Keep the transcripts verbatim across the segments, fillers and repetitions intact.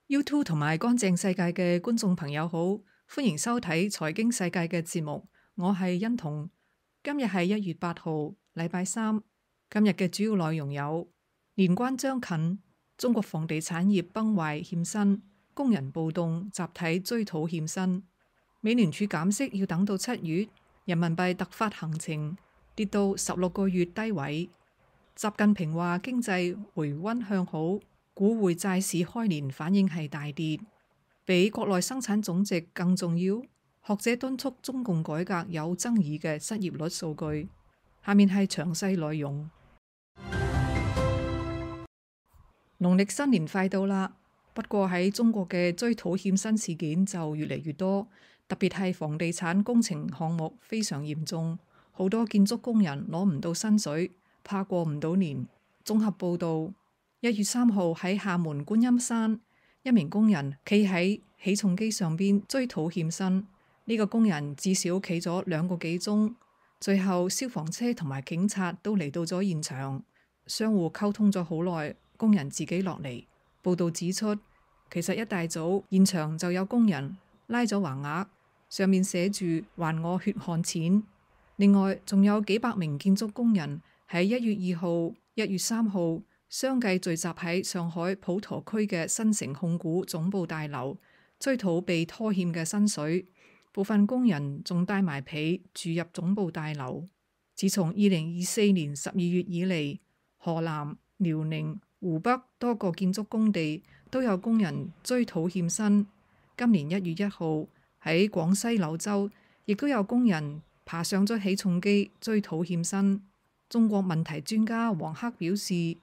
YouTube 同埋乾淨世界嘅觀眾朋友好，歡迎收睇財經世界嘅節目，我係欣彤。今日係一月八號，禮拜三。今日嘅主要內容有：年關將近，中國房地產業崩壞欠薪，工人暴動集體追討欠薪；美聯儲減息要等到七月，人民幣突發行情跌到十六個月低位。習近平話經濟回溫向好。股匯債市開年反應係大跌，比國內生產總值更重要。學者敦促中共改革有爭議嘅失業率數據。下面係詳細內容。農曆新年快到啦，不過喺中國嘅追討欠薪事件就越嚟越多，特別係房地產工程項目非常嚴重，好多建築工人攞唔到薪水，怕過唔到年。綜合報道。一月三號喺廈門觀音山，一名工人企喺起重機上邊追討欠薪。呢個工人至少企咗兩個幾鐘，最後消防車同埋警察都嚟到咗現場，相互溝通咗好耐，工人自己落嚟。報道指出，其實一大早現場就有工人拉咗橫額，上面寫住還我血汗錢。另外仲有幾百名建築工人喺一月二號、一月三號。相繼聚集喺上海普陀區嘅新城控股總部大樓，追討被拖欠嘅薪水。部分工人仲帶埋被住入總部大樓。自從二零二四年十二月以嚟，河南、遼寧、湖北多個建築工地都有工人追討欠薪。今年一月一號喺廣西柳州，亦都有工人爬上咗起重機追討欠薪。中國問題專家王克表示，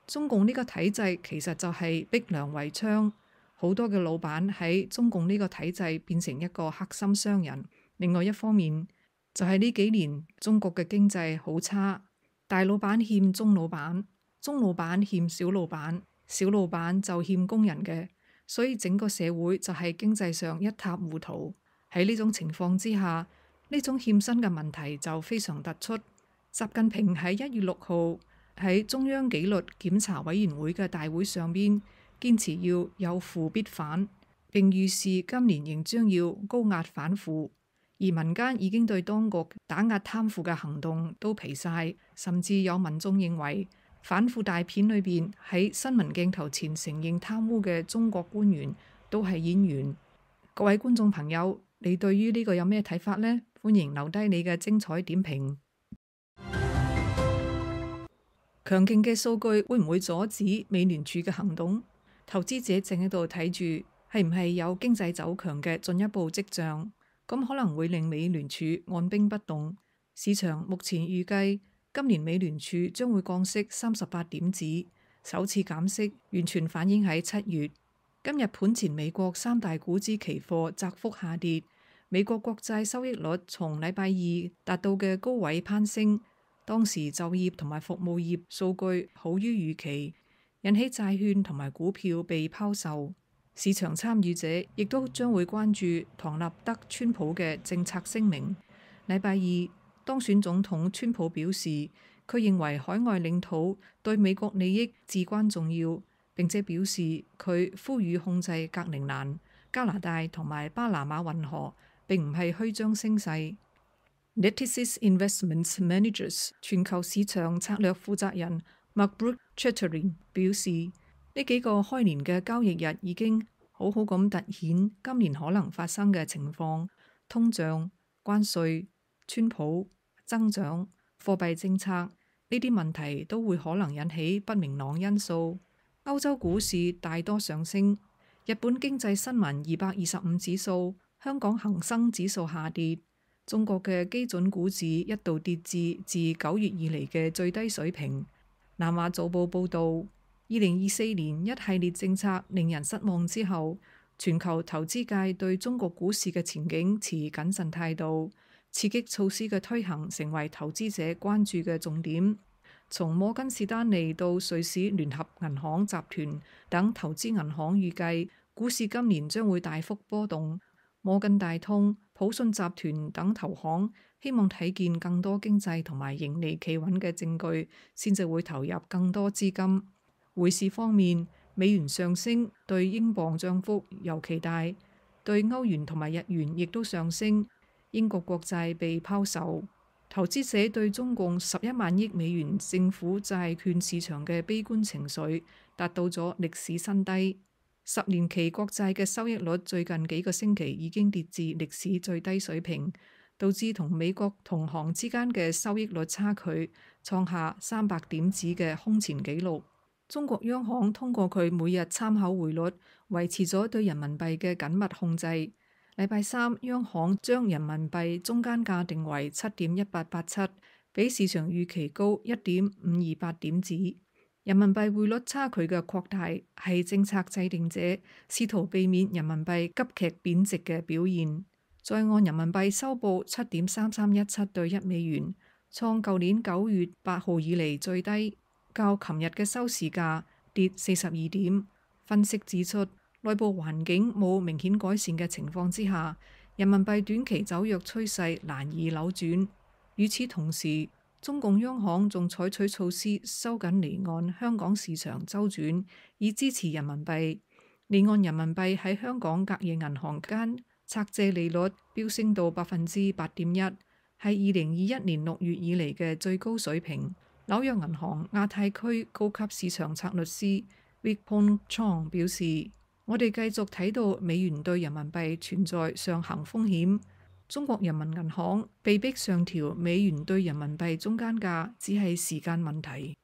中共呢個體制其實就係逼良為娼，好多嘅老闆喺中共呢個體制變成一個黑心商人。另外一方面就係呢幾年中國嘅經濟好差，大老闆欠中老闆，中老闆欠小老闆，小老闆就欠工人嘅，所以整個社會就係經濟上一塌糊塗。喺呢種情況之下，呢種欠薪嘅問題就非常突出。習近平喺一月六號喺中央紀律檢查委員會嘅大會上邊，堅持要有腐必反，並預示今年仍將要高壓反腐。而民間已經對當局打壓貪腐嘅行動都疲晒，甚至有民眾認為反腐大片裏邊喺新聞鏡頭前承認貪污嘅中國官員都係演員。各位觀眾朋友，你對於呢個有咩睇法呢？歡迎留低你嘅精彩點評。強勁嘅數據會唔會阻止美聯儲嘅行動？投資者正喺度睇住係唔係有經濟走強嘅進一步跡象，咁可能會令美聯儲按兵不動。市場目前預計今年美聯儲將會降息三十八點子，首次減息完全反映喺七月。今日盤前美國三大股指期貨窄幅下跌，美國國債收益率從禮拜二達到嘅高位攀升。當時就業同埋服務業數據好於預期，引起債券同埋股票被拋售。市場參與者亦都將會關注唐納德川普嘅政策聲明。禮拜二當選總統川普表示，佢認為海外領土對美國利益至關重要，並且表示佢呼籲控制格陵蘭、加拿大同埋巴拿馬運河，並唔係虛張聲勢。Natixis Investment Managers 全球市場策略負責人 Mark Chatterton 表示，呢幾個開年嘅交易日已經好好咁突顯今年可能發生嘅情況：通脹、關稅、川普、增長、貨幣政策呢啲問題都會可能引起不明朗因素。歐洲股市大多上升，日本經濟新聞二百二十五指數、香港恒生指數下跌。中國嘅基準股指一度跌至自九月以嚟嘅最低水平。南華早報報道，二零二四年一系列政策令人失望之後，全球投資界對中國股市嘅前景持謹慎態度，刺激措施嘅推行成為投資者關注嘅重點。從摩根士丹利到瑞士聯合銀行集團等投資銀行預計，股市今年將會大幅波動。摩根大通、普信集團等投行希望睇見更多經濟同埋盈利企穩嘅證據，先至會投入更多資金。匯市方面，美元上升對英鎊漲幅尤其大，對歐元同埋日元亦都上升。英國國債被拋售，投資者對中共十一萬億美元政府債券市場嘅悲觀情緒達到咗歷史新低。十年期國債嘅收益率最近幾個星期已經跌至歷史最低水平，導致同美國同行之間嘅收益率差距創下三百點子嘅空前紀錄。中國央行通過佢每日參考匯率，維持咗對人民幣嘅緊密控制。禮拜三，央行將人民幣中間價定為七點一八八七，比市場預期高一點五二八點子。人民幣匯率差距嘅擴大係政策制定者試圖避免人民幣急劇貶值嘅表現。在岸人民幣收報七點三三一七對一美元，創舊年九月八號以嚟最低，較琴日嘅收市價跌四十二點。分析指出，內部環境冇明顯改善嘅情況之下，人民幣短期走弱趨勢難以扭轉。與此同時，中共央行仲採取措施收緊離岸香港市場周轉，以支持人民幣。離岸人民幣喺香港隔夜銀行間拆借利率飆升到百分之八點一，係二零二一年六月以嚟嘅最高水平。紐約銀行亞太區高級市場策略師 Vipon Chong 表示：我哋繼續睇到美元對人民幣存在上行風險。中國人民銀行被迫上調美元對人民幣中間價，只係時間問題。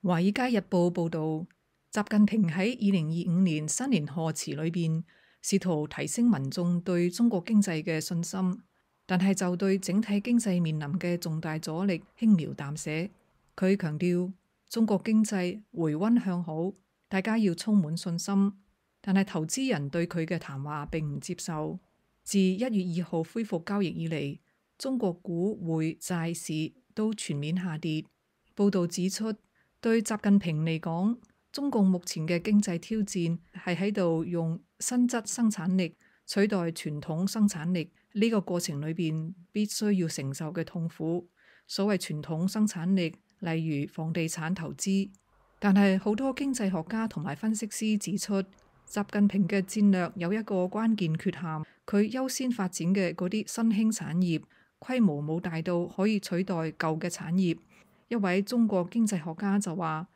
華爾街日報報導，習近平喺二零二五年新年賀詞裏邊，試圖提升民眾對中國經濟嘅信心，但係就對整體經濟面臨嘅重大阻力輕描淡寫。佢強調，中國經濟回溫向好，大家要充滿信心。但係投資人對佢嘅談話並唔接受。自一月二號恢復交易以嚟，中國股匯債市都全面下跌。報導指出，對習近平嚟講，中共目前嘅經濟挑戰係喺度用新質生產力取代傳統生產力，呢個過程裏邊必須要承受嘅痛苦。所謂傳統生產力，例如房地產投資，但係好多經濟學家同埋分析師指出，習近平嘅戰略有一個關鍵缺陷，佢優先發展嘅嗰啲新興產業規模冇大到可以取代舊嘅產業。一位中國經濟學家就話：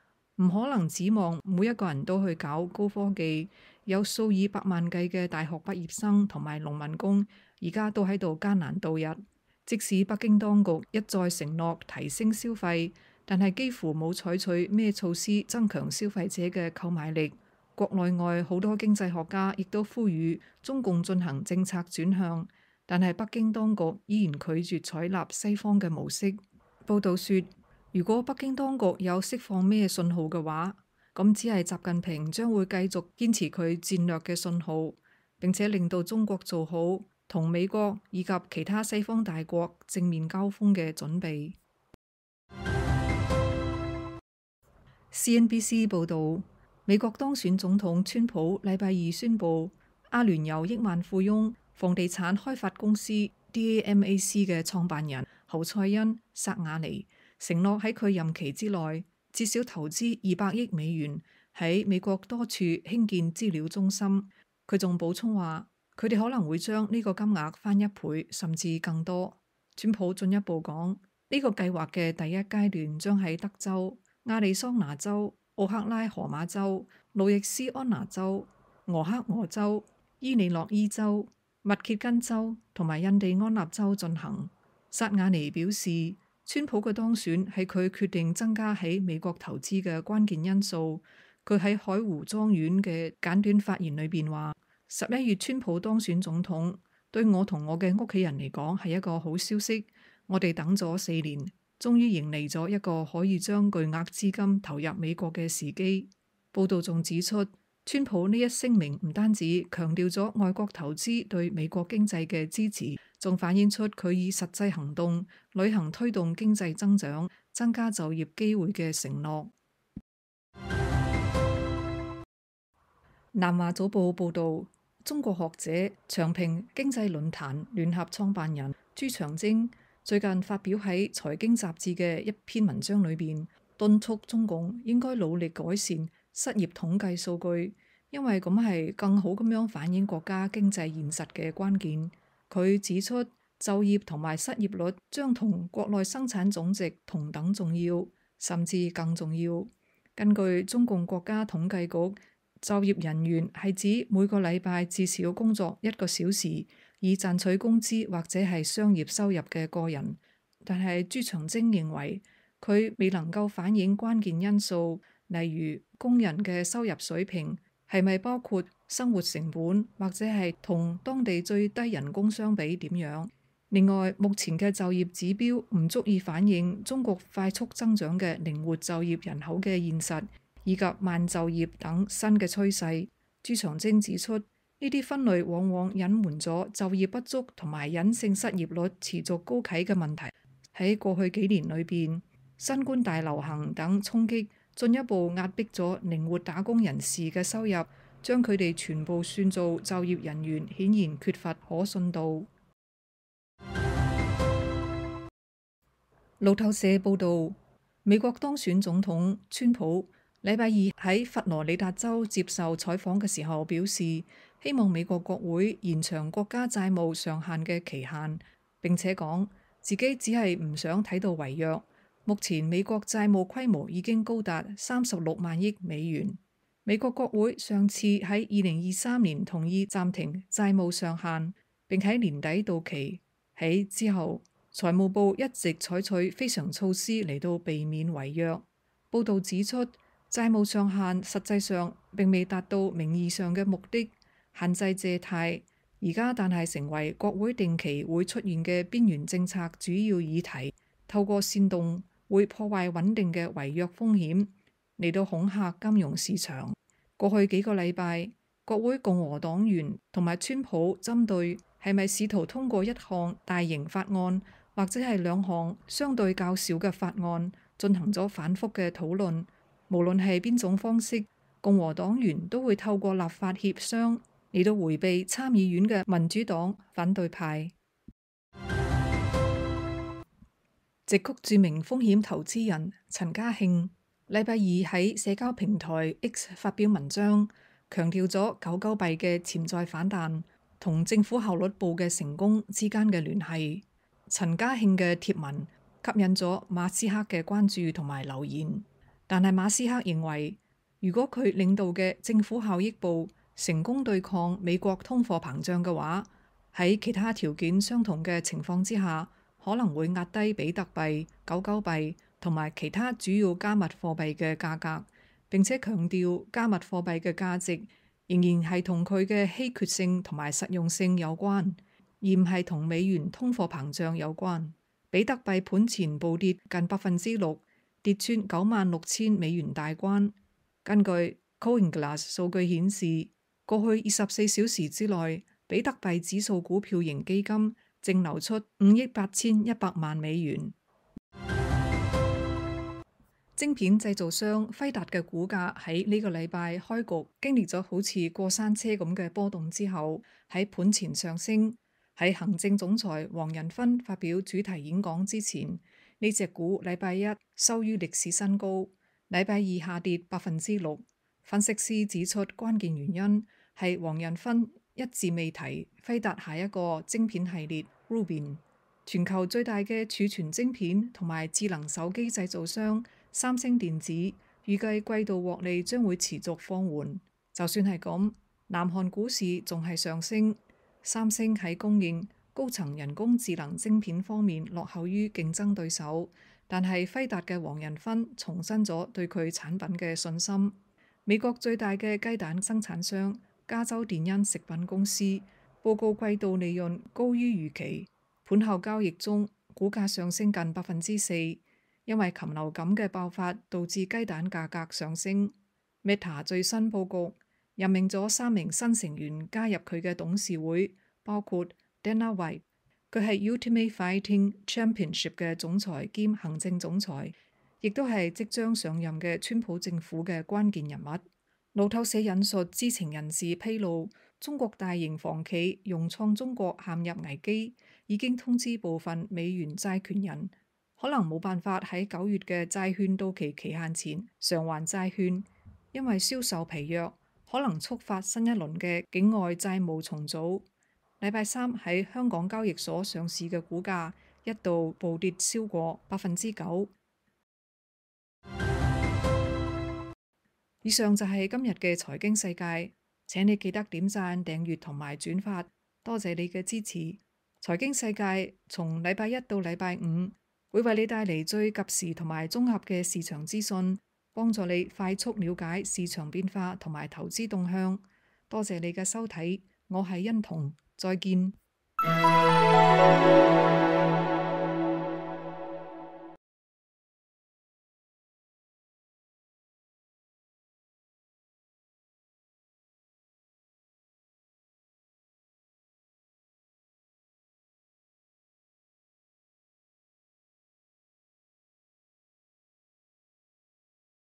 唔可能指望每一個人都去搞高科技，有數以百萬計嘅大學畢業生同埋農民工，而家都喺度艱難度日。即使北京當局一再承諾提升消費，但係幾乎冇採取咩措施增強消費者嘅購買力。國內外好多經濟學家亦都呼籲中共進行政策轉向，但係北京當局依然拒絕採納西方嘅模式。報導說，如果北京當局有釋放咩信號嘅話，咁只係習近平將會繼續堅持佢戰略嘅信號，並且令到中國做好同美國以及其他西方大國正面交鋒嘅準備。C N B C 報導。美國當選總統川普禮拜二宣布，阿聯酋億萬富翁房地產開發公司 D A M A C 嘅創辦人侯賽因薩瓦尼承諾喺佢任期之內至少投資二百億美元喺美國多處興建資料中心。佢仲補充話，佢哋可能會將呢個金額翻一倍甚至更多。川普進一步講，呢個計劃嘅第一階段將喺德州、亞利桑那州、奧克拉荷馬州、路易斯安那州、俄克俄州、伊利諾伊州、密歇根州同埋印第安納州進行。薩瓦尼表示，川普嘅當選係佢決定增加喺美國投資嘅關鍵因素。佢喺海湖莊園嘅簡短發言裏邊話：十一月川普當選總統，對我同我嘅屋企人嚟講係一個好消息。我哋等咗四年，終於迎嚟咗一個可以將巨額資金投入美國嘅時機。報道仲指出，川普呢一聲明唔單止強調咗外國投資對美國經濟嘅支持，仲反映出佢以實際行動履行推動經濟增長、增加就業機會嘅承諾。南華早報報道，中國學者長平經濟論壇聯合創辦人朱長征最近發表喺財經雜誌嘅一篇文章裏邊，敦促中共應該努力改善失業統計數據，因為咁係更好咁樣反映國家經濟現實嘅關鍵。佢指出，就業同埋失業率將同國內生產總值同等重要，甚至更重要。根據中共國家統計局，就業人員係指每個禮拜至少工作一個小時以賺取工資或者係商業收入嘅個人。但係朱長征認為佢未能夠反映關鍵因素，例如工人嘅收入水平係咪包括生活成本，或者係同當地最低人工相比點樣。另外，目前嘅就業指標唔足以反映中國快速增長嘅靈活就業人口嘅現實，以及慢就業等新嘅趨勢。朱長征指出，呢啲分類往往隱瞞咗就業不足同埋隱性失業率持續高企嘅問題。喺過去幾年裏邊，新冠大流行等衝擊進一步壓迫咗靈活打工人士嘅收入，將佢哋全部算做就業人員，顯然缺乏可信度。路透社報導，美國當選總統川普禮拜二喺佛羅里達州接受採訪嘅時候表示，希望美國國會延長國家債務上限嘅期限，並且講自己只係唔想睇到違約。目前美國債務規模已經高達三十六萬億美元。美國國會上次喺二零二三年同意暫停債務上限，並喺年底到期。喺之後，財務部一直採取非常措施嚟到避免違約。報導指出，債務上限實際上並未達到名義上嘅目的，限制借貸。而家但係成為國會定期會出現嘅邊緣政策主要議題，透過煽動會破壞穩定嘅違約風險嚟到恐嚇金融市場。過去幾個禮拜，國會共和黨員同埋川普針對係咪試圖通過一項大型法案或者係兩項相對較少嘅法案進行咗反覆嘅討論。無論係邊種方式，共和黨員都會透過立法協商嚟到迴避參議院嘅民主黨反對派。矽谷著名風險投資人陳家慶禮拜二喺社交平台 X 發表文章，強調咗狗狗幣嘅潛在反彈同政府效率部嘅成功之間嘅聯繫。陳家慶嘅貼文吸引咗馬斯克嘅關注同埋留言，但係馬斯克認為，如果佢領導嘅政府效益部成功對抗美國通貨膨脹嘅話，喺其他條件相同嘅情況之下，可能會壓低比特幣、狗狗幣同埋其他主要加密貨幣嘅價格。並且強調加密貨幣嘅價值仍然係同佢嘅稀缺性同埋實用性有關，而唔係同美元通貨膨脹有關。比特幣盤前暴跌近百分之六，跌穿九萬六千美元大關。根據 CoinGlass 數據顯示，過去二十四小時之內，比特幣指數股票型基金淨流出五億八千一百萬美元。晶片製造商輝達嘅股價喺呢個禮拜開局經歷咗好似過山車咁嘅波動之後，喺盤前上升。喺行政總裁黃仁勳發表主題演講之前，呢隻股禮拜一收於歷史新高，禮拜二下跌百分之六。分析師指出，關鍵原因係黃仁勳一字未提輝達下一個晶片系列 Rubin。全球最大嘅儲存晶片同埋智能手機製造商三星電子預計季度獲利將會持續放緩。就算係咁，南韓股市仲係上升。三星喺供應高層人工智能晶片方面落後於競爭對手，但係輝達嘅黃仁勳重申咗對佢產品嘅信心。美國最大嘅雞蛋生產商加州電恩食品公司報告季度利潤高於預期，盤後交易中股價上升近百分之四，因為禽流感嘅爆發導致雞蛋價格上升。Meta 最新報告任命咗三名新成員加入佢嘅董事會，包括 Dana White， 佢係 Ultimate Fighting Championship 嘅總裁兼行政總裁，亦都係即將上任嘅川普政府嘅關鍵人物。路透社引述知情人士披露，中國大型房企融創中國陷入危機，已經通知部分美元債權人可能冇辦法喺九月嘅債券到期期限前償還債券，因為銷售疲弱，可能觸發新一輪嘅境外債務重組。禮拜三喺香港交易所上市嘅股價一度暴跌超過百分之九。以上就係今日嘅財經世界，請你記得點讚、訂閱同埋轉發，多謝你嘅支持。財經世界從禮拜一到禮拜五會為你帶嚟最及時同埋綜合嘅市場資訊，幫助你快速了解市場變化同埋投資動向。多謝你嘅收睇，我係欣彤，再見。